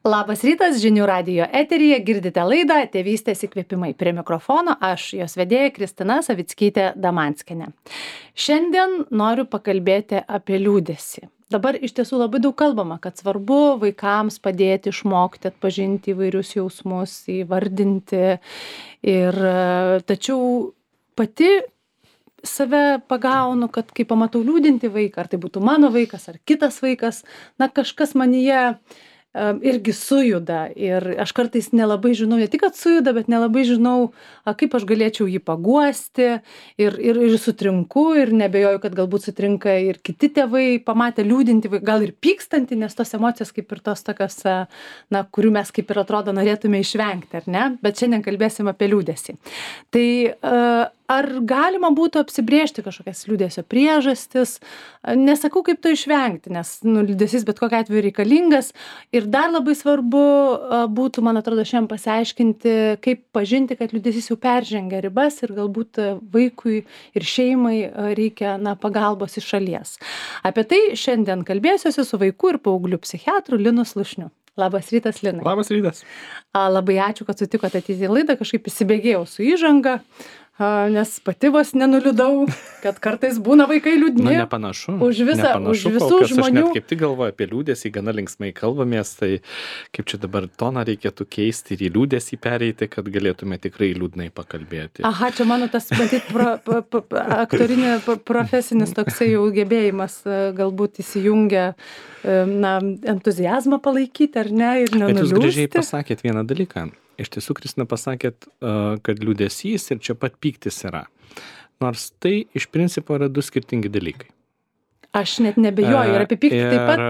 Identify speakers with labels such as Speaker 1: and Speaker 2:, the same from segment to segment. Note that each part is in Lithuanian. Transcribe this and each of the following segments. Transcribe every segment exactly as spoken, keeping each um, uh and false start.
Speaker 1: Labas rytas, žinių radijo eteryje girdite laidą Tėvystės įkvėpimai. Prie mikrofono aš, jos vedėja Kristina Savickytė Damanskienė. Šiandien noriu pakalbėti apie liūdesį. Dabar iš tiesų labai daug kalbama, kad svarbu vaikams padėti išmokti, atpažinti įvairius jausmus, įvardinti. Ir tačiau pati save pagaunu, kad kai pamatau liūdinti vaiką, ar tai būtų mano vaikas, ar kitas vaikas, na kažkas manyje irgi sujuda ir aš kartais nelabai žinau, ne tik kad sujuda, bet nelabai žinau, kaip aš galėčiau jį paguosti ir, ir, ir sutrinku ir nebejoju, kad galbūt sutrinka ir kiti tėvai, pamatę liūdinti, gal ir pykstantį, nes tos emocijos kaip ir tos tokios, na, kurių mes kaip ir atrodo norėtume išvengti, ar ne? Bet šiandien kalbėsim apie liūdesį. Tai ar galima būtų apsibrėžti kažkokias liūdesio priežastis? Nesakau, kaip to išvengti, nes nu, liūdesys bet kokiu atveju reikalingas. Ir dar labai svarbu būtų, man atrodo, šiandien pasiaiškinti, kaip pažinti, kad liūdesys jau peržengia ribas ir galbūt vaikui ir šeimai reikia na, pagalbos iš šalies. Apie tai šiandien kalbėsiuosi su vaikų ir paauglių psichiatru Linu Slušniu. Labas rytas, Linai.
Speaker 2: Labas rytas.
Speaker 1: Labai ačiū, kad sutikote ateiti į laidą, kažkaip įsibėgėjau su įžanga. Nes pati vos nenuliūdau, kad kartais būna vaikai liūdni.
Speaker 2: Na, nepanašu.
Speaker 1: Už visą,
Speaker 2: nepanašu,
Speaker 1: už visų
Speaker 2: kol kas
Speaker 1: žmonių.
Speaker 2: Aš net kaip tik galvoju apie liūdesį, gana linksmai kalbamės, tai kaip čia dabar toną reikėtų keisti ir į liūdesį pereiti, kad galėtume tikrai liūdnai pakalbėti.
Speaker 1: Aha, čia mano tas, matyt, pro, pro, pro, aktorinė profesinis toksai jau gebėjimas galbūt įsijungia, na, entuziazmą palaikyti, ar ne, ir nenuliūsti.
Speaker 2: Bet jūs gražiai pasakėt vieną dalyką. Iš tiesų, Kristina, pasakėt, kad liūdesys ir čia pat pyktis yra. Nors tai iš principo yra du skirtingi dalykai.
Speaker 1: Aš net nebejoju ir apie pyktį ir, taip pat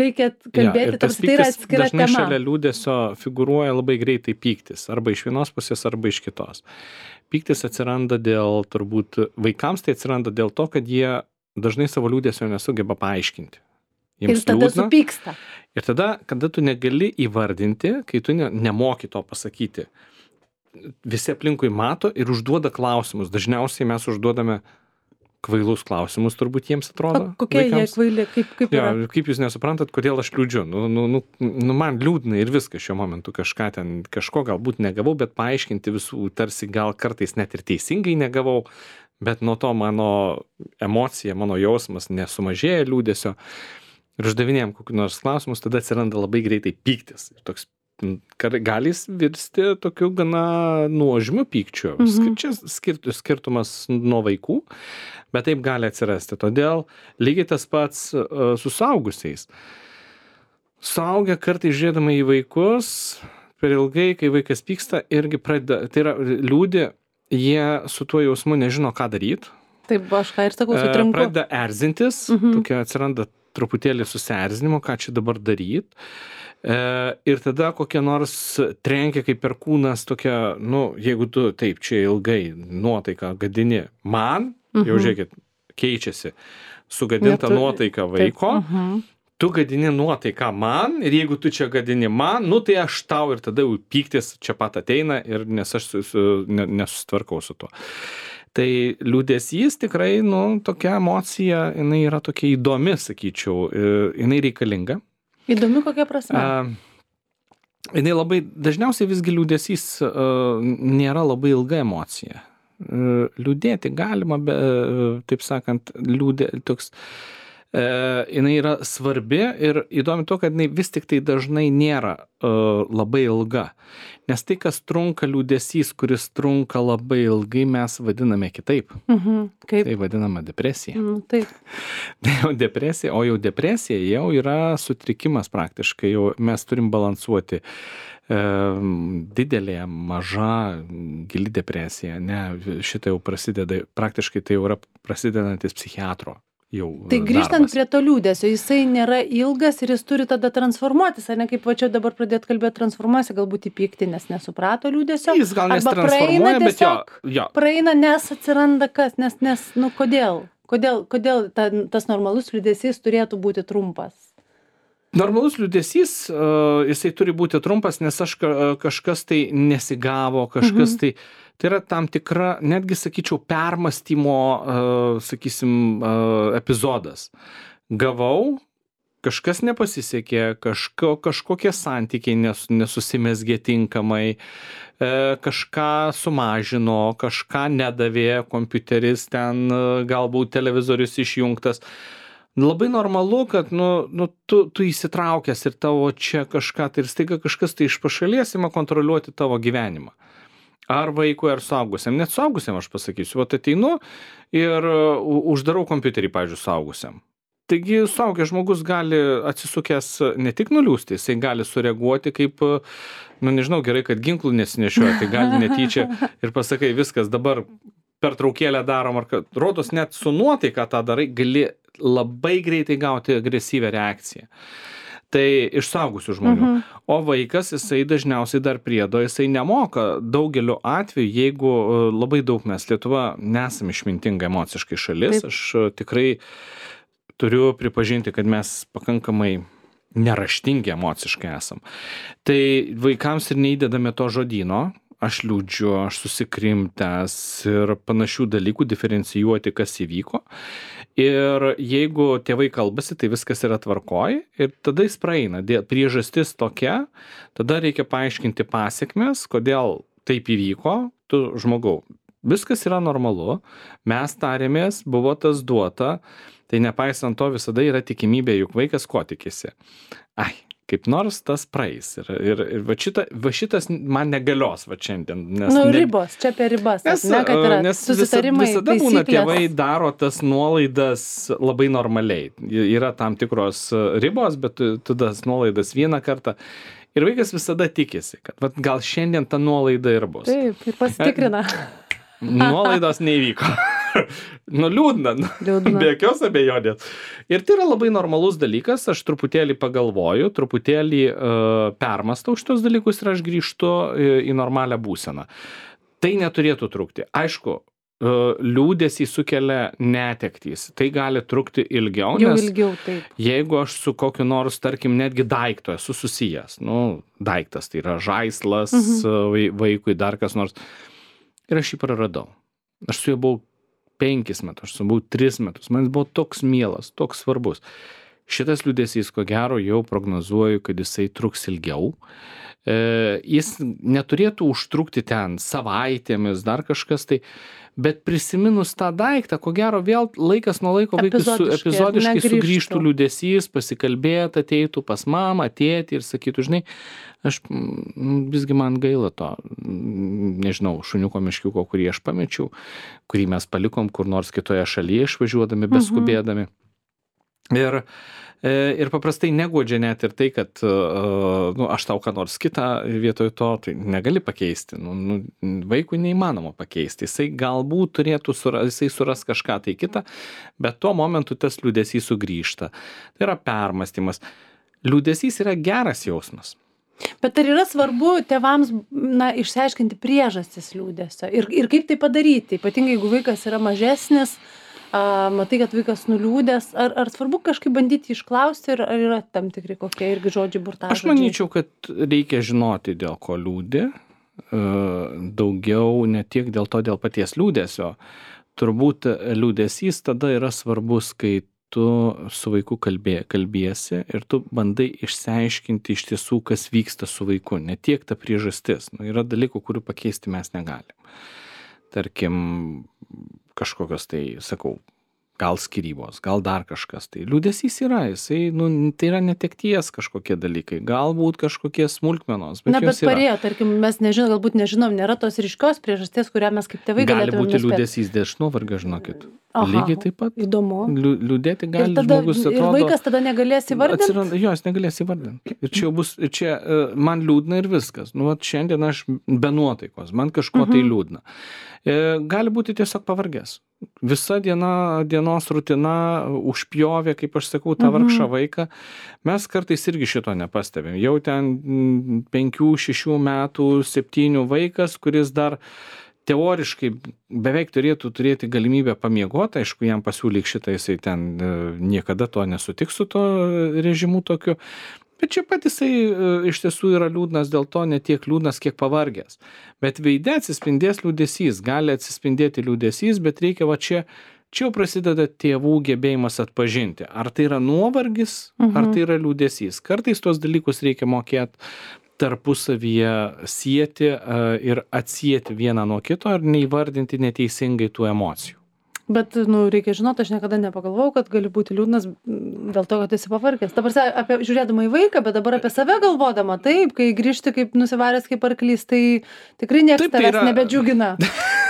Speaker 1: reikia kalbėti, ja, tarsi tai yra atskira tema.
Speaker 2: Dažnai šalia liūdesio figūruoja labai greitai pyktis, arba iš vienos pusės, arba iš kitos. Pyktis atsiranda dėl, turbūt, vaikams tai atsiranda dėl to, kad jie dažnai savo liūdesio nesugeba paaiškinti. Jiems
Speaker 1: ir tada
Speaker 2: liūdna.
Speaker 1: supyksta.
Speaker 2: Ir tada, kada tu negali įvardinti, kai tu ne, nemoki to pasakyti, visi aplinkui mato ir užduoda klausimus. Dažniausiai mes užduodame kvailus klausimus, turbūt jiems atrodo.
Speaker 1: O kokie
Speaker 2: vaikams.
Speaker 1: Jie kvaili, kaip, kaip
Speaker 2: ja,
Speaker 1: yra?
Speaker 2: Kaip jūs nesuprantat, kodėl aš liūdžiu? Nu, nu, nu, nu, man liūdna ir viskas šiuo momentu kažką ten, kažko galbūt negavau, bet paaiškinti visų tarsi gal kartais net ir teisingai negavau, bet nuo to mano emocija, mano jausmas nesumažėja liūdesio. Ir uždavinėjom kokius nors klausimus, tada atsiranda labai greitai pyktis. Ir toks gali virsti tokiu gana nuožmiu pykčiu. Mhm. Čia skirt, skirtumas nuo vaikų, bet taip gali atsirasti. Todėl lygiai tas pats uh, su suaugusiais. Suaugę kartais žiūrėdami į vaikus, per ilgai, kai vaikas pyksta, irgi pradeda, tai yra liūdi, jie su tuo jausmu nežino, ką daryti.
Speaker 1: Taip, aš ką ir sakau, sutrinku.
Speaker 2: Uh, pradeda erzintis, mhm. tokia atsiranda truputėlį susierzinimo, ką čia dabar daryt. E, ir tada kokia nors trenkia kaip perkūnas tokia, nu, jeigu tu taip čia ilgai nuotaiką gadini man, mhm. jau žiūrėkit, keičiasi sugadinta
Speaker 1: Netu...
Speaker 2: nuotaika vaiko,
Speaker 1: mhm.
Speaker 2: tu gadini nuotaiką man ir jeigu tu čia gadini man, nu tai aš tau ir tada jau pyktis čia pat ateina ir nes aš su, su, ne, nesusitvarkau su tuo. Tai liūdesys tikrai, nu, tokia emocija, jinai yra tokia įdomi, sakyčiau, jinai reikalinga.
Speaker 1: Įdomi kokia prasme?
Speaker 2: Uh, jinai labai, dažniausiai visgi liūdesys uh, nėra labai ilga emocija. Uh, liūdėti galima, be, uh, taip sakant, liūdė, toks, uh, jinai yra svarbi ir įdomi to, kad jinai vis tik tai dažnai nėra uh, labai ilga. Nes tai, kas trunka liūdesys, kuris trunka labai ilgai, mes vadiname kitaip.
Speaker 1: Mhm, kaip?
Speaker 2: Tai vadinama depresija.
Speaker 1: Mhm, taip.
Speaker 2: Tai jau depresija, o jau depresija jau yra sutrikimas praktiškai. Jau mes turim balansuoti e, didelė, maža, gili depresija. Ne, šitą jau prasideda, praktiškai tai jau yra prasidedantis psichiatro. Jau
Speaker 1: tai grįžtant
Speaker 2: darbas.
Speaker 1: Prie to liūdesio, jisai nėra ilgas ir jis turi tada transformuotis, ar ne, kaip va čia dabar pradėt kalbėti transformuosi, galbūt į pyktį, nes nesuprato liūdesio.
Speaker 2: Jis gal
Speaker 1: praeina,
Speaker 2: nesitransformuoja, bet jo, jo.
Speaker 1: Praeina, nes atsiranda kas, nes, nes nu kodėl, kodėl, kodėl ta, tas normalus liūdesys turėtų būti trumpas?
Speaker 2: Normalus liūdesys, uh, jisai turi būti trumpas, nes aš kažkas tai nesigavo, kažkas mhm. tai... Tai yra tam tikra, netgi sakyčiau, permąstymo, uh, sakysim, uh, epizodas. Gavau, kažkas nepasisekė, kažko, kažkokie santykiai nes, nesusimesgė tinkamai, e, kažką sumažino, kažką nedavė, kompiuteris ten, galbūt televizorius išjungtas. Labai normalu, kad nu, nu, tu, tu įsitraukęs ir tavo čia kažką, tai ir staiga kažkas tai iš pašalies ima kontroliuoti tavo gyvenimą. Ar vaikui, ar suaugusiam. Net suaugusiam aš pasakysiu, vat ateinu ir uždarau kompiuterį, pavyzdžiui, suaugusiam. Taigi suaugęs žmogus gali atsisukęs ne tik nuliūsti, jisai gali sureaguoti kaip, nu nežinau, gerai, kad ginklų nesinešioja, tai gali netyčia ir pasakai, viskas dabar pertraukėlę darom, ar kad, rodos net su nuotaika tą darai, gali labai greitai gauti agresyvią reakciją. Tai iš suaugusių žmonių. Mhm. O vaikas, jisai dažniausiai dar priedo, jisai nemoka daugeliu atveju, jeigu labai daug mes Lietuva nesam išmintinga emociškai šalis, Taip. Aš tikrai turiu pripažinti, kad mes pakankamai neraštingi emociškai esam. Tai vaikams ir neįdedame to žodyno, aš liūdžiu, aš susikrimtęs ir panašių dalykų diferencijuoti, kas įvyko. Ir jeigu tėvai kalbasi, tai viskas yra tvarkoj ir tada jis praeina. Priežastis tokia, tada reikia paaiškinti pasiekmes, kodėl taip įvyko, tu žmogau. Viskas yra normalu, mes tarėmės, buvo tas duota, tai nepaisant to visada yra tikimybė, juk vaikas ko tikisi. Ai, kaip nors tas praeis. Ir, ir, ir va, šita, va šitas man negalios va šiandien. Nes
Speaker 1: nu,
Speaker 2: ne,
Speaker 1: ribos, čia apie ribas.
Speaker 2: Nes,
Speaker 1: ne, kad yra
Speaker 2: nes
Speaker 1: susitarimai,
Speaker 2: visada, visada būna
Speaker 1: taisyklės.
Speaker 2: Tėvai daro tas nuolaidas labai normaliai. Yra tam tikros ribos, bet tu, tu tas nuolaidas vieną kartą. Ir vaikas visada tikisi, kad va, gal šiandien ta nuolaida ir bus.
Speaker 1: Taip, ir pasitikrina.
Speaker 2: Nuolaidos neįvyko. Nu, liūdna, liūdna, be jokios abejonės. Ir tai yra labai normalus dalykas, aš truputėlį pagalvoju, truputėlį uh, permastau šitos dalykus ir aš grįžtu į, į normalią būseną. Tai neturėtų trukti. Aišku, uh, liūdesį sukelia netektys. Tai gali trukti ilgiau,
Speaker 1: Jau
Speaker 2: nes
Speaker 1: ilgiau, taip.
Speaker 2: Jeigu aš su kokiu nors, tarkim, netgi daikto esu susijęs, nu, daiktas tai yra žaislas mhm. vaikui, dar kas nors, ir aš jį praradau. Aš su juo buvau penkis metus, aš buvau tris metus, man buvo toks mielas, toks svarbus. Šitas liūdesys, ko gero, jau prognozuoju, kad jisai truks ilgiau. E, jis neturėtų užtrukti ten savaitėmis, dar kažkas tai, bet prisiminus tą daiktą, ko gero, vėl laikas nuo laiko vaikui su, epizodiškai sugrįžtų liūdesys, pasikalbėt, ateitų pas mamą, tėtį ir sakytų, žinai, aš visgi man gaila to, nežinau, šuniuko miškiuko, kurį aš pamečiau, kurį mes palikom kur nors kitoje šalyje išvažiuodami, beskubėdami. Ir, ir paprastai neguodžia net ir tai, kad nu, aš tau ką nors kitą vietoj to, tai negali pakeisti. Nu, nu, vaikui neįmanoma pakeisti. Jisai galbūt turėtų, suras, jisai suras kažką tai kitą, bet tuo momentu tas liūdesys sugrįžta. Tai yra permąstymas. Liūdesys yra geras jausmas.
Speaker 1: Bet ar yra svarbu tėvams na, išsiaiškinti priežastis liūdesio ir, ir kaip tai padaryti, ypatingai jeigu vaikas yra mažesnis, a, matai, kad vaikas nuliūdęs, ar, ar svarbu kažkaip bandyti išklausti ir ar yra tam tikri kokie irgi žodžiai burtažodžiai?
Speaker 2: Aš manyčiau, kad reikia žinoti, dėl ko liūdi, daugiau ne tiek dėl to, dėl paties liūdesio. Turbūt liūdesys tada yra svarbus, kai tu su vaiku kalbė, kalbėsi ir tu bandai išsiaiškinti iš tiesų, kas vyksta su vaiku, ne tiek ta priežastis. Nu, yra dalykų, kurių pakeisti mes negalim. Tarkim, kažkokios tai, sakau, gal skyrybos, gal dar kažkas. Tai liūdesys yra, jisai, nu, tai yra netekties kažkokie dalykai, galbūt kažkokie smulkmenos. Bet
Speaker 1: Na, bet parėjo,
Speaker 2: yra.
Speaker 1: tarkim, mes nežinom, galbūt nežinom, nėra tos ryškios priežasties, kurią mes kaip tėvai
Speaker 2: gali
Speaker 1: galėtume
Speaker 2: būti
Speaker 1: nuspėti.
Speaker 2: liūdesys dėl nuovargio, žinokit.
Speaker 1: Aha,
Speaker 2: Lygiai taip pat.
Speaker 1: Įdomu.
Speaker 2: Liū- Liūdėti gali
Speaker 1: Ir, tada,
Speaker 2: žmogus,
Speaker 1: ir
Speaker 2: atrodo.
Speaker 1: vaikas tada negalės įvardinti?
Speaker 2: Atsiranda, jo, jis negalės įvardinti. Ir čia jau bus, ir čia e, man liūdna ir viskas. Nu, vat šiandien aš be nuotaikos, man kažko tai liūdna. E, gali būti tiesiog pavargęs. Visa diena, dienos rutina užpjovė, kaip aš sakau, tą vargšą vaiką. Mes kartais irgi šito nepastebim. Jau ten mm, penkių, šešių metų, septynių vaikas, kuris dar teoriškai beveik turėtų turėti galimybę pamiegoti, aišku, jam pasiūlyk šitą, jisai ten e, niekada to nesutiks su to režimu tokiu, bet čia pat jisai e, iš tiesų yra liūdnas dėl to, ne tiek liūdnas, kiek pavargęs. Bet veide atsispindės liūdesys, gali atsispindėti liūdesys, bet reikia va čia, čia jau prasideda tėvų gebėjimas atpažinti, ar tai yra nuovargis,
Speaker 1: Mhm.
Speaker 2: ar tai yra liūdesys. Kartais tuos dalykus reikia mokėti tarpusavyje sieti a, ir atsieti vieną nuo kito ir neįvardinti neteisingai tų emocijų.
Speaker 1: Bet, nu, reikia žinoti, aš niekada nepagalvojau, kad gali būti liūdnas m, dėl to, kad esi pavargęs. Dabar sa- apie žiūrėdama į vaiką, bet dabar apie save galvodama, taip, kai grįžti kaip nusivaręs kaip arklys, tai tikrai niekas
Speaker 2: Taip, tai
Speaker 1: tavęs
Speaker 2: yra-
Speaker 1: nebedžiugina.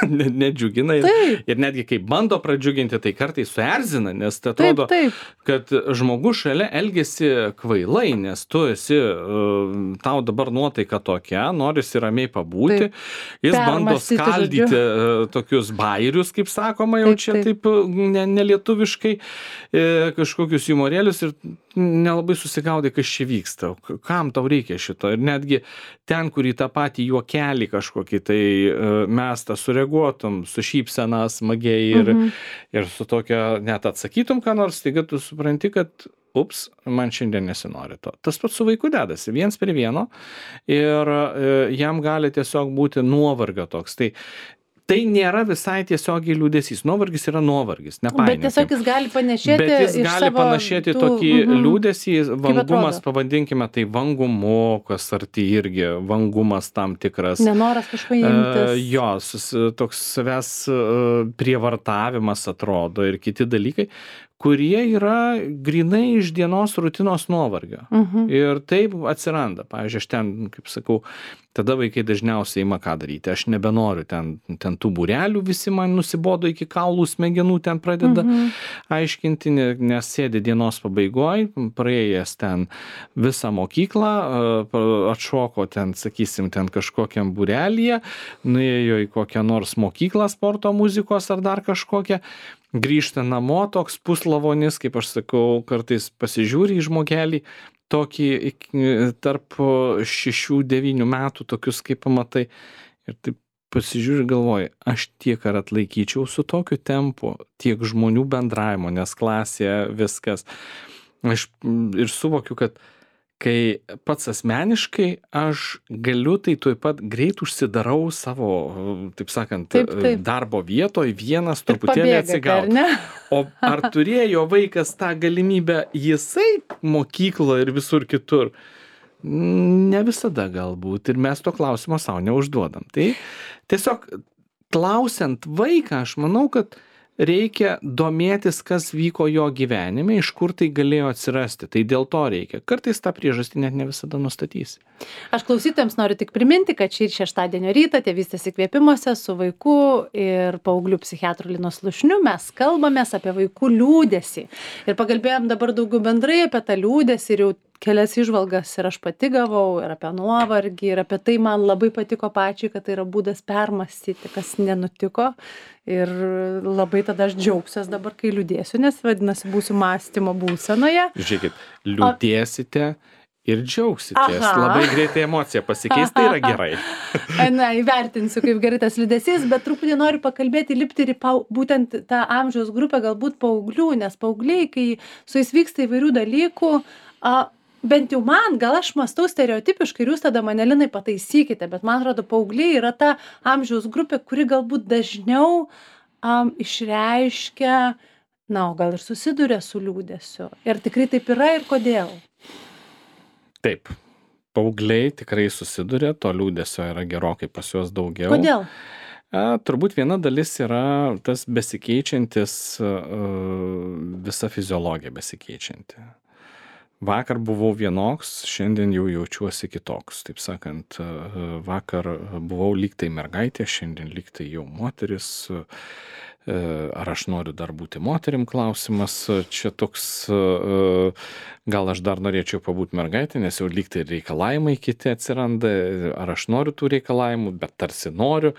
Speaker 2: Ne- Nedžiugina ir,
Speaker 1: Taip.
Speaker 2: ir netgi kai bando pradžiuginti, tai kartais suerzina, nes tai
Speaker 1: Taip,
Speaker 2: atrodo,
Speaker 1: taip.
Speaker 2: kad žmogus šalia elgesi kvailai, nes tu esi, uh, tau dabar nuotaika tokia, norisi ramiai pabūti,
Speaker 1: Taip.
Speaker 2: jis bando
Speaker 1: Permąstyti,
Speaker 2: skaldyti
Speaker 1: žodžiu.
Speaker 2: uh, tokius bairius, kaip sakoma, jau
Speaker 1: Taip,
Speaker 2: čia
Speaker 1: taip.
Speaker 2: taip uh, ne- nelietuviškai, e, kažkokius humorėlius ir nelabai susigaudai, kas čia vyksta, K- kam tau reikia šito. Ir netgi ten, kur į tą patį juokelį kažkokį, tai uh, mes tą sureaguotum, su šypsena smagiai ir,
Speaker 1: Mhm.
Speaker 2: ir su tokia, net atsakytum, ką nors, taigi tu supranti, kad ups, man šiandien nesinori to. Tas pats su vaiku dedasi, viens prie vieno ir e, jam gali tiesiog būti nuovargio toks. Tai, tai nėra visai tiesiogiai liūdesys. Nuovargis yra nuovargis,
Speaker 1: Bet
Speaker 2: nepainiokim.
Speaker 1: tiesiog jis gali panešėti
Speaker 2: Bet jis
Speaker 1: iš
Speaker 2: gali
Speaker 1: savo
Speaker 2: panašėti
Speaker 1: tų-
Speaker 2: tokį
Speaker 1: mhm.
Speaker 2: liūdesį, vangumas,
Speaker 1: atrodo?
Speaker 2: pavadinkime, tai vangumu, kas arti irgi, vangumas tam tikras.
Speaker 1: Nenoras kažko
Speaker 2: E,
Speaker 1: imtis.
Speaker 2: jo, sus, toks savęs e, prievartavimas atrodo ir kiti dalykai, kurie yra grinai iš dienos rutinos nuovargio.
Speaker 1: Mhm.
Speaker 2: Ir taip atsiranda. Pavyzdžiui, aš ten, kaip sakau, tada vaikai dažniausiai ima ką daryti. Aš nebenoriu ten, ten tų būrelių, visi man nusibodo iki kaulų smegenų, ten pradeda
Speaker 1: Mhm.
Speaker 2: aiškinti, ne- nes sėdi dienos pabaigoj, praėjęs ten visą mokyklą, e, pa- atšoko ten, sakysim, ten kažkokiam būrelyje, nuėjo į kokią nors mokyklą sporto muzikos ar dar kažkokią, grįžta namo, toks puslavonis, kaip aš sakau, kartais pasižiūri į žmogelį, tokį iki- tarp šešių devynių metų, tokius kaip pamatai, ir taip pasižiūri ir galvoji, aš tiek ar atlaikyčiau su tokiu tempu, tiek žmonių bendravimo, nes klasėje viskas. Aš mm, ir suvokiu, kad kai pats asmeniškai aš galiu, tai tuoj pat greit užsidarau savo, taip sakant,
Speaker 1: Taip, taip.
Speaker 2: darbo vietoje, vienas
Speaker 1: Ir
Speaker 2: truputėlį
Speaker 1: pabėgate, ar
Speaker 2: atsigauti.
Speaker 1: ne?
Speaker 2: O ar turėjo vaikas tą galimybę jisai mokykloje ir visur kitur? Ne visada galbūt. Ir mes to klausimo savo neužduodam. Tai tiesiog klausiant vaiką, aš manau, kad reikia domėtis, kas vyko jo gyvenime, iš kur tai galėjo atsirasti. Tai dėl to reikia. Kartais tą priežastį net ne visada nustatysi.
Speaker 1: Aš klausytojams noriu tik priminti, kad šį šeštadienio rytą tėvystės įkvėpimuose su vaiku ir paauglių psichiatru Linu Slušniu mes kalbamės apie vaikų liūdesį. Ir pakalbėjom dabar daugiau bendrai apie tą liūdesį ir jau kelias įžvalgas ir aš pati gavau, ir apie nuovargį, ir apie tai man labai patiko pačiai, kad tai yra būdas permąstyti, kas nenutiko. Ir labai tada aš džiaugsiuos dabar, kai liūdėsiu, nes vadinasi būsiu mąstymo būsenoje.
Speaker 2: Žiūrėkit, liūdėsite ir džiaugsitės.
Speaker 1: Aha.
Speaker 2: Labai greitai emocija pasikeis, tai yra gerai.
Speaker 1: Na, įvertinsiu, kaip gerai tas liūdesys, bet truputį noriu pakalbėti, lipti ir į pau, būtent tą amžiaus grupę, galbūt paauglių, nes paaugliai, kai su jais vyksta įvairių dalykų, a, bent jau man, gal aš mąstau stereotipiškai ir jūs tada mane, Linai, pataisykite, bet man atrodo, paaugliai yra ta amžiaus grupė, kuri galbūt dažniau um, išreiškia, na, o gal ir susiduria su liūdesiu. Ir tikrai taip yra ir kodėl?
Speaker 2: Taip, paaugliai tikrai susiduria, to liūdesio yra gerokai pas juos daugiau.
Speaker 1: Kodėl?
Speaker 2: A, turbūt viena dalis yra tas besikeičiantis, a, visa fiziologija besikeičianti. Vakar buvau vienoks, šiandien jau jaučiuosi kitoks. Taip sakant, a, vakar buvau lyg tai mergaitė, šiandien lyg tai jau moteris. A, ar aš noriu dar būti moterim klausimas. Čia toks, a, gal aš dar norėčiau pabūti mergaitė, nes jau lyg tai reikalavimai kiti atsiranda. Ar aš noriu tų reikalavimų, bet tarsi noriu.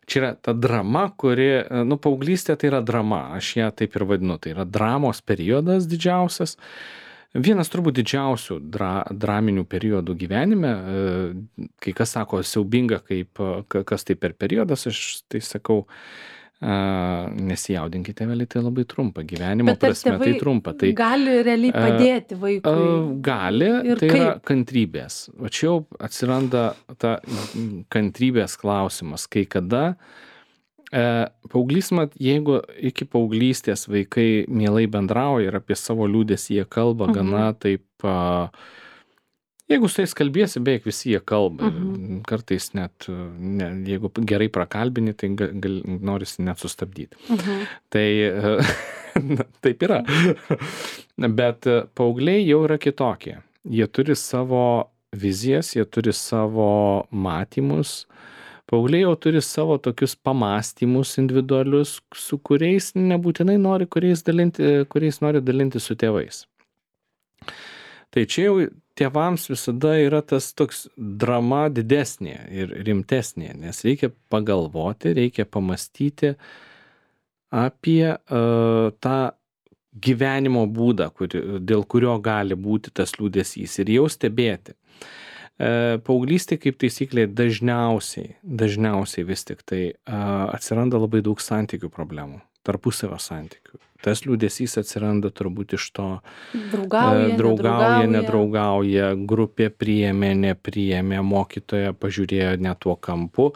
Speaker 2: Čia yra ta drama, kuri, nu, paauglystė tai yra drama, aš ją taip ir vadinu, tai yra dramos periodas didžiausias. Vienas turbūt didžiausių dra, draminių periodų gyvenime, kai kas sako siaubinga, kaip, kas tai per periodas, aš tai sakau, nesijaudinkite, vėliai tai labai trumpa, gyvenimo prasme tai trumpa. Tai
Speaker 1: gali realiai padėti vaikui?
Speaker 2: Gali,
Speaker 1: ir
Speaker 2: tai
Speaker 1: kaip?
Speaker 2: yra kantrybės. O čia jau atsiranda ta kantrybės klausimas, kai kada E, paauglys, mat, jeigu iki paauglystės vaikai mielai bendrauja ir apie savo liūdėsį jie kalba
Speaker 1: Mhm.
Speaker 2: gana taip, a, jeigu su tais kalbėsi, beveik visi jie kalba.
Speaker 1: Mhm.
Speaker 2: Kartais net, ne, jeigu gerai prakalbini, tai gal, gal, norisi net sustabdyti.
Speaker 1: Mhm.
Speaker 2: Tai na, taip yra. Bet paaugliai jau yra kitokie. Jie turi savo vizijas, jie turi savo matymus. Paaugliai jau turi savo tokius pamąstymus individualius, su kuriais nebūtinai nori, kuriais, dalinti, kuriais nori dalinti su tėvais. Tai čia jau tėvams visada yra tas toks drama didesnė ir rimtesnė, nes reikia pagalvoti, reikia pamastyti apie uh, tą gyvenimo būdą, kuri, dėl kurio gali būti tas liūdesys ir jau stebėti. Paauglystė kaip taisyklė dažniausiai, dažniausiai vis tik tai a, atsiranda labai daug santykių problemų, tarpusavio santykių. Tas liūdesys atsiranda turbūt iš to
Speaker 1: Draugauja,
Speaker 2: e, draugauja,
Speaker 1: nedraugauja.
Speaker 2: nedraugauja, grupė priėmė, nepriėmė, mokytoja pažiūrėjo ne tuo kampu,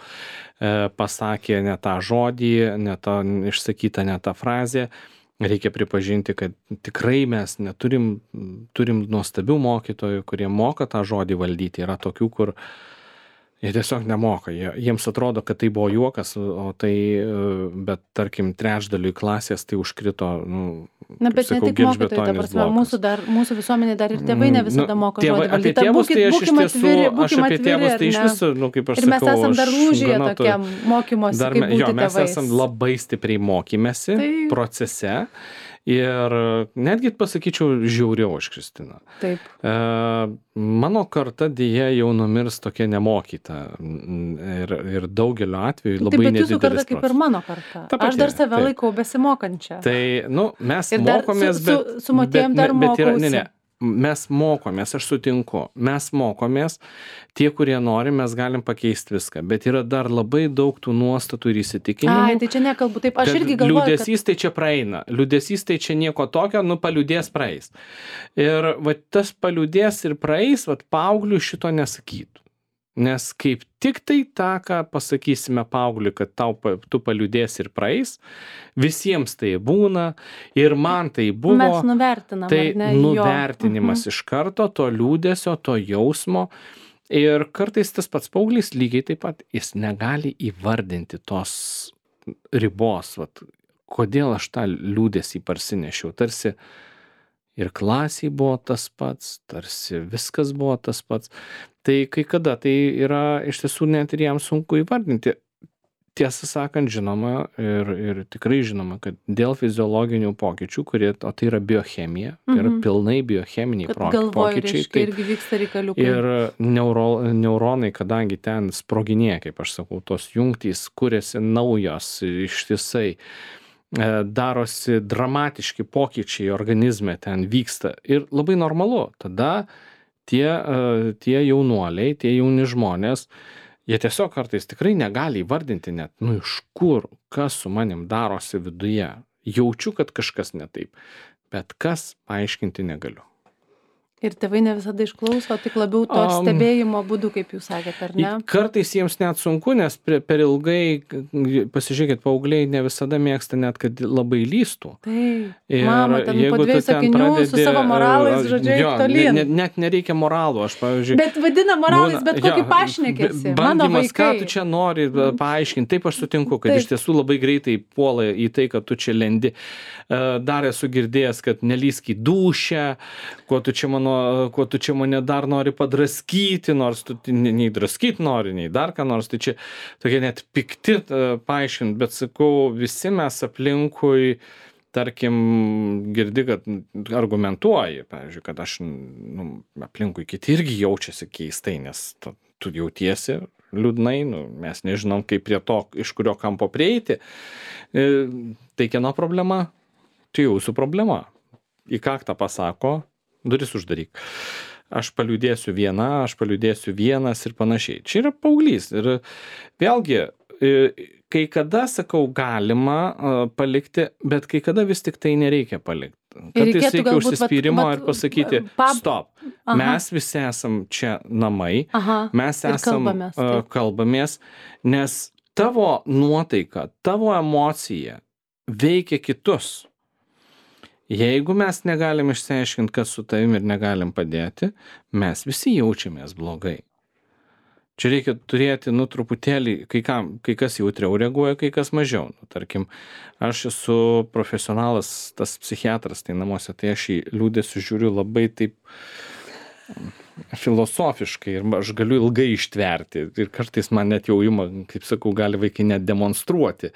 Speaker 2: e, pasakė ne tą žodį, ne tą išsakytą, ne tą frazę. Reikia pripažinti, kad tikrai mes neturim, turim nuostabių mokytojų, kurie moka tą žodį valdyti. Yra tokių, kur jie tiesiog nemoka. Jie, jiems atrodo, kad tai buvo juokas, o tai, bet tarkim, trečdaliui klasės tai užkrito, nu,
Speaker 1: Na, bet
Speaker 2: sakau,
Speaker 1: ne tik mokytojai, ta prasme, mūsų, dar, mūsų visuomenė dar ir tėvai ne visada moka
Speaker 2: tėvai,
Speaker 1: žodį
Speaker 2: apie
Speaker 1: valdyti.
Speaker 2: tėvus tai aš iš
Speaker 1: Būkim
Speaker 2: tiesų,
Speaker 1: atviri,
Speaker 2: aš
Speaker 1: būkim
Speaker 2: apie
Speaker 1: atviri,
Speaker 2: tėvus
Speaker 1: ar
Speaker 2: tai iš
Speaker 1: ne?
Speaker 2: viso, nu, kaip aš
Speaker 1: Ir mes
Speaker 2: sakau,
Speaker 1: esam dar
Speaker 2: aš
Speaker 1: lūžyje
Speaker 2: gana to-
Speaker 1: tokiam mokymosi,
Speaker 2: Dar,
Speaker 1: kaip
Speaker 2: me-
Speaker 1: būti
Speaker 2: jo, mes
Speaker 1: tėvais.
Speaker 2: esam labai stipriai mokymėsi
Speaker 1: Taip.
Speaker 2: procese ir netgi pasakyčiau žiauriau už Kristiną.
Speaker 1: Taip.
Speaker 2: E, mano karta dėja jau numirs tokia nemokyta ir, ir daugeliu atveju
Speaker 1: Taip,
Speaker 2: labai
Speaker 1: bet jūsų karta
Speaker 2: nedidelis
Speaker 1: kaip ir
Speaker 2: procentas.
Speaker 1: mano karta.
Speaker 2: Ta
Speaker 1: Aš dar
Speaker 2: pati,
Speaker 1: save
Speaker 2: taip.
Speaker 1: laikau besimokančią.
Speaker 2: Tai, nu, mes
Speaker 1: Ir dar
Speaker 2: mokomės,
Speaker 1: su- su-
Speaker 2: bet...
Speaker 1: su motiejum
Speaker 2: bet-
Speaker 1: dar
Speaker 2: bet yra- Ne,
Speaker 1: mokausi.
Speaker 2: ne. Mes mokomės, aš sutinku, mes mokomės, tie, kurie nori, mes galim pakeisti viską, bet yra dar labai daug tų nuostatų ir įsitikinimų.
Speaker 1: Ai, tai čia nekalbu. Taip, aš
Speaker 2: kad
Speaker 1: irgi galvoju, kad...
Speaker 2: liūdesys tai čia praeina, liūdesys tai čia nieko tokio, nu paliūdės praeis. Ir va, tas paliūdės ir praeis, va, paaugliui šito nesakytų. Nes kaip tik tai tą, ką pasakysime paaugliui, kad tau, pa- tu paliūdės ir praeis, visiems tai būna ir man tai buvo.
Speaker 1: Mes nuvertinam,
Speaker 2: Tai
Speaker 1: ar ne, jo.
Speaker 2: nuvertinimas iš karto to liūdesio, to jausmo. Ir kartais tas pats paauglys lygiai taip pat, jis negali įvardinti tos ribos, vat, kodėl aš tą liūdesį parsinešiau. Tarsi ir klasiai buvo tas pats, tarsi viskas buvo tas pats. Tai kai kada tai yra iš tiesų net ir jam sunku įvardinti. Tiesą sakant, žinoma ir, ir tikrai žinoma, kad dėl fiziologinių pokyčių, kurie, o tai yra biochemija, tai yra
Speaker 1: Mhm.
Speaker 2: pilnai biocheminiai
Speaker 1: Kad
Speaker 2: pro-
Speaker 1: galvoju,
Speaker 2: pokyčiai.
Speaker 1: reiškia, irgi vyksta reikaliukai.
Speaker 2: Ir neuro, neuronai, kadangi ten sproginėja, kaip aš sakau, tos jungtys kuriasi naujos ištisai, e, darosi dramatiški pokyčiai organizme ten vyksta. Ir labai normalu. Tada tie, e, tie jaunuoliai, tie jauni žmonės, jie tiesiog kartais tikrai negali įvardinti net, nu iš kur, kas su manim darosi viduje. Jaučiu, kad kažkas ne taip, bet kas paaiškinti negaliu.
Speaker 1: Ir tėvai ne visada išklauso, tik labiau to
Speaker 2: Am.
Speaker 1: stebėjimo būdu, kaip jūs sakėte, ar ne?
Speaker 2: Kartais jiems net sunku, nes per, per ilgai, pasižiūrėkit, paaugliai ne visada mėgsta net, kad labai lystų.
Speaker 1: Taip.
Speaker 2: Ir
Speaker 1: Mama, ten po
Speaker 2: jeigu tu
Speaker 1: dviejų
Speaker 2: ten
Speaker 1: sakinių su
Speaker 2: pradedi,
Speaker 1: savo moralais,
Speaker 2: e,
Speaker 1: žodžiu,
Speaker 2: jo,
Speaker 1: eik tolyn.
Speaker 2: ne- ne- Net nereikia moralų, aš, pavyzdžiui.
Speaker 1: Bet vadina moralais,
Speaker 2: būna-
Speaker 1: bet kokį
Speaker 2: jo,
Speaker 1: pašnekėsi.
Speaker 2: b-
Speaker 1: Mano
Speaker 2: Bandymas, ką
Speaker 1: vaikai.
Speaker 2: tu čia nori e, paaiškinti, taip aš sutinku, kad
Speaker 1: Taip.
Speaker 2: iš tiesų labai greitai puola į tai, kad tu čia lendi. E, Dar esu girdėjęs, kad nelysk į dušę, kuo tu čia, mano, kuo tu čia mane dar nori padraskyti, nors tu nei nei draskyti nori, nei dar ką nors. Tai čia tokie net pikti e, paaiškinti, bet sakau, visi mes aplinkui, tarkim, girdi, kad argumentuoji, pavyzdžiui, kad aš, nu, aplinkui kiti irgi jaučiasi keistai, nes tu, tu jautiesi liūdnai, nu, mes nežinom, kaip prie to, iš kurio kampo prieiti. E, Tai kieno problema? Tai jūsų problema. Į kaktą pasako, duris uždaryk. Aš paliūdėsiu viena, aš paliūdėsiu vienas ir panašiai. Čia yra paauglys. Ir vėlgi, e, kai kada, sakau, galima e, palikti, bet kai kada vis tik tai nereikia palikti. Kartais
Speaker 1: reikėtų
Speaker 2: reikia
Speaker 1: galbūt, vat-
Speaker 2: užsispyrimo
Speaker 1: vat,
Speaker 2: ir pasakyti,
Speaker 1: pab-
Speaker 2: stop,
Speaker 1: Aha.
Speaker 2: mes visi esam čia namai,
Speaker 1: Aha.
Speaker 2: mes
Speaker 1: Ir
Speaker 2: esam,
Speaker 1: kalbamės,
Speaker 2: e,
Speaker 1: taip.
Speaker 2: kalbamės, nes tavo nuotaika, tavo emocija veikia kitus. Jeigu mes negalim išsiaiškinti, kas su tavim ir negalim padėti, mes visi jaučiamės blogai. Čia reikia turėti, nu, truputėlį, kai, kam, kai kas jautriau reaguoja, kai kas mažiau. Nu, tarkim, aš esu profesionalas, tas psichiatras, tai namuose, tai aš į liūdesį žiūriu labai taip filosofiškai ir aš galiu ilgai ištverti. Ir kartais man net jau ima, kaip sakau, gali vaikai net demonstruoti.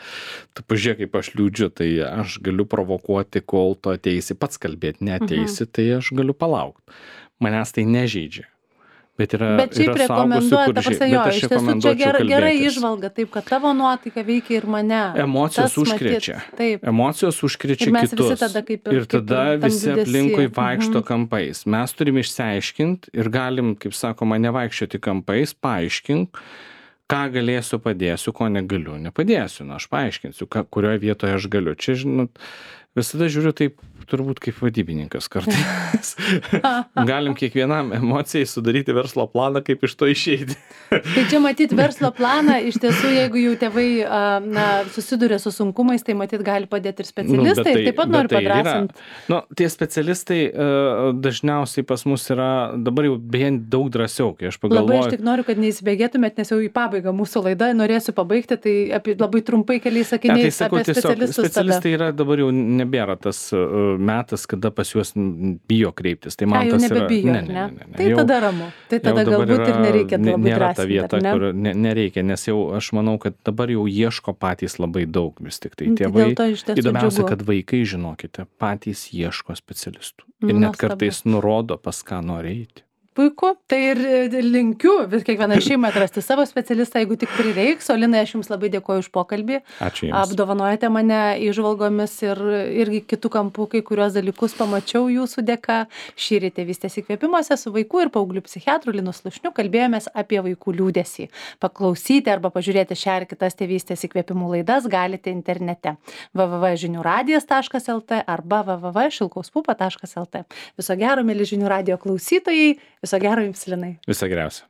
Speaker 2: Tu pažiūrėk, kaip aš liūdžiu, tai aš galiu provokuoti, kol tu ateisi pats kalbėti, neateisi, mhm. tai aš galiu palaukti. Manęs tai nežeidžia. Bet, yra,
Speaker 1: bet šiaip rekomenduoja, ta prasme, jo, iš tiesų čia gera, gera įžvalga, taip, kad tavo nuotaika veikia ir mane.
Speaker 2: Emocijos
Speaker 1: Tas
Speaker 2: užkrečia.
Speaker 1: Matyt, taip.
Speaker 2: Emocijos užkrečia kitus.
Speaker 1: Ir mes visi tada kaip ir,
Speaker 2: ir tada
Speaker 1: kaip ir
Speaker 2: visi aplinkui vaikšto
Speaker 1: mhm.
Speaker 2: kampais. Mes turim išsiaiškinti ir galim, kaip sakoma, nevaikščioti kampais, paaiškink, ką galėsiu, padėsiu, ko negaliu. Nepadėsiu, na, aš paaiškinsiu, ką, kurioje vietoje aš galiu. Čia, žinot, visada žiūriu taip, turbūt kaip vadybininkas kartais. Galim kiekvienam emocijai sudaryti verslo planą, kaip iš to išeiti.
Speaker 1: Tai čia matyt verslo planą, iš tiesų, jeigu jau tėvai na, susiduria su sunkumais, tai matyt gali padėti ir specialistai. Nu, tai, taip pat noriu tai padrasinti.
Speaker 2: Nu, tie specialistai uh, dažniausiai pas mus yra dabar jau beje daug drąsiau, kai aš pagalvoju.
Speaker 1: Labai aš tik noriu, kad neįsibėgėtumėt, nes jau į pabaigą mūsų laidą norėsiu pabaigti, tai apie, labai trumpai keliais sakiniais ja, tai sakau, apie specialistus.
Speaker 2: Specialistai yra dabar jau nebėra tas uh, metas, kada pas juos bijo kreiptis. Tai man
Speaker 1: A,
Speaker 2: tas
Speaker 1: nebebijo,
Speaker 2: yra... Ne, ne, ne, ne.
Speaker 1: Tai jau, tada ramu. Tai tada galbūt yra, ir nereikia labai drąsinti.
Speaker 2: Nėra ta vieta, ne? Kur ne, nereikia, nes jau aš manau, kad dabar jau ieško patys labai daug vis tik tai tėvai. Įdomiausia, kad vaikai, žinokite, patys ieško specialistų. Ir net
Speaker 1: Nuostabu.
Speaker 2: Kartais nurodo, pas ką nori eiti.
Speaker 1: Puiku, tai ir linkiu vis kiekvieną šeimą atrasti savo specialistą, jeigu tik prireiks. O Linai, aš Jums labai dėkoju už pokalbį.
Speaker 2: Ačiū Jums.
Speaker 1: Apdovanojate mane įžvalgomis ir irgi kitų kampų, kai kurios dalykus pamačiau Jūsų dėka. Šįryt Tėvystės įkvėpimuose su vaikų ir paauglių psichiatru Linu Slušniu kalbėjomės apie vaikų liūdesį. Paklausyti arba pažiūrėti šią ir kitas Tėvystės įkvėpimų laidas galite internete w w w taškas žinių radijas taškas l t arba w w w taškas šilkaus pupa taškas l t. Viso gero, mieli Žinių radijo klausytojai. Viso gero Jums, Linai.
Speaker 2: Viso geriausio.